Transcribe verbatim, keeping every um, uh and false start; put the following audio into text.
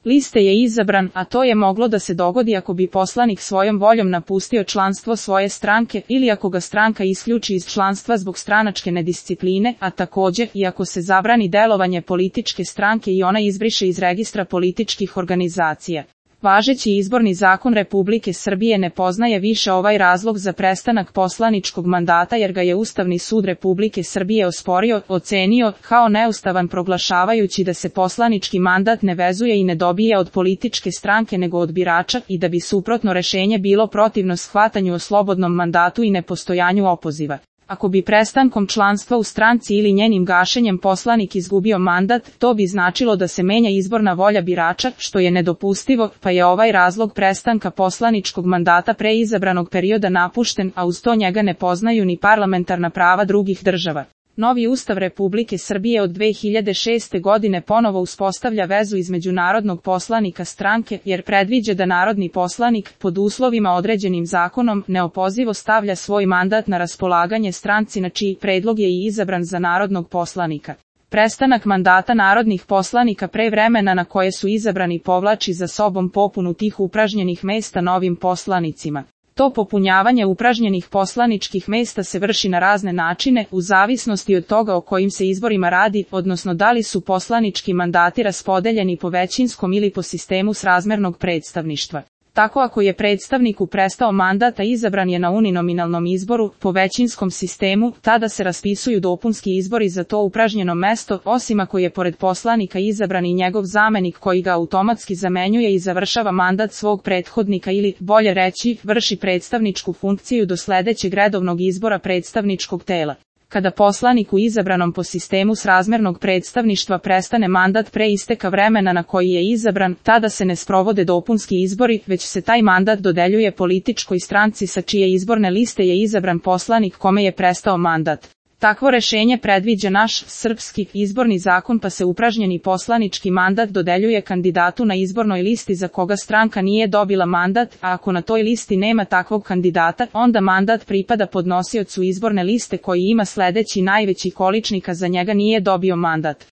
liste je izabran, a to je moglo da se dogodi ako bi poslanik svojom voljom napustio članstvo svoje stranke ili ako ga stranka isključi iz članstva zbog stranačke nediscipline, a takođe i ako se zabrani delovanje političke stranke i ona izbriše iz registra političkih organizacija. Važeći izborni zakon Republike Srbije ne poznaje više ovaj razlog za prestanak poslaničkog mandata jer ga je Ustavni sud Republike Srbije osporio, ocenio kao neustavan proglašavajući da se poslanički mandat ne vezuje i ne dobija od političke stranke nego od birača i da bi suprotno rešenje bilo protivno shvatanju o slobodnom mandatu i nepostojanju opoziva. Ako bi prestankom članstva u stranci ili njenim gašenjem poslanik izgubio mandat, to bi značilo da se menja izborna volja birača, što je nedopustivo, pa je ovaj razlog prestanka poslaničkog mandata pre izabranog perioda napušten, a uz to njega ne poznaju ni parlamentarna prava drugih država. Novi Ustav Republike Srbije od dve hiljade šeste. godine ponovo uspostavlja vezu između narodnog poslanika stranke, jer predviđa da narodni poslanik, pod uslovima određenim zakonom, neopozivo stavlja svoj mandat na raspolaganje stranci na čiji predlog je i izabran za narodnog poslanika. Prestanak mandata narodnih poslanika pre vremena na koje su izabrani povlači za sobom popunu tih upražnjenih mesta novim poslanicima. To popunjavanje upražnjenih poslaničkih mesta se vrši na razne načine, u zavisnosti od toga o kojim se izborima radi, odnosno da li su poslanički mandati raspodeljeni po većinskom ili po sistemu srazmernog predstavništva. Tako ako je predstavniku prestao mandat a izabran je na uninominalnom izboru, po većinskom sistemu, tada se raspisuju dopunski izbori za to upražnjeno mesto, osim ako je pored poslanika izabran i njegov zamenik koji ga automatski zamenjuje i završava mandat svog prethodnika ili, bolje reći, vrši predstavničku funkciju do sledećeg redovnog izbora predstavničkog tela. Kada poslaniku izabranom po sistemu srazmernog predstavništva prestane mandat pre isteka vremena na koji je izabran, tada se ne sprovode dopunski izbori, već se taj mandat dodeljuje političkoj stranci sa čije izborne liste je izabran poslanik kome je prestao mandat. Takvo rešenje predviđa naš, srpski, izborni zakon pa se upražnjeni poslanički mandat dodeljuje kandidatu na izbornoj listi za koga stranka nije dobila mandat, a ako na toj listi nema takvog kandidata, onda mandat pripada podnosiocu izborne liste koji ima sledeći najveći količnik a za njega nije dobio mandat.